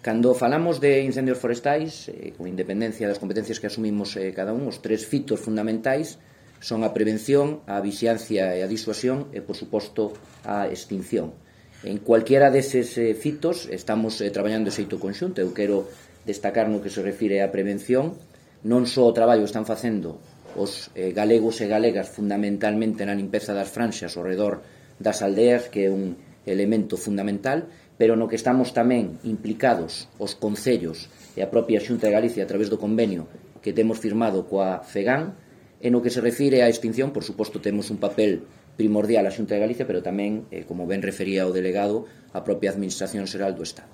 Cando falamos de incendios forestais, con independencia das competencias que asumimos cada un, os tres fitos fundamentais son a prevención, a vixiancia e a disuasión e, por suposto, a extinción. En cualquiera deses fitos estamos traballando de xeito conxunto. Eu quero destacar no que se refire á prevención non só o traballo que están facendo os galegos e galegas fundamentalmente na limpeza das franxas ao redor das aldeas, que é un elemento fundamental, pero no que estamos tamén implicados os concellos e a propia Xunta de Galicia a través do convenio que temos firmado coa FEGAN. E no que se refire á extinción, por suposto, temos un papel primordial a Xunta de Galicia, pero tamén, como ben refería o delegado, a propia Administración Xeral do Estado.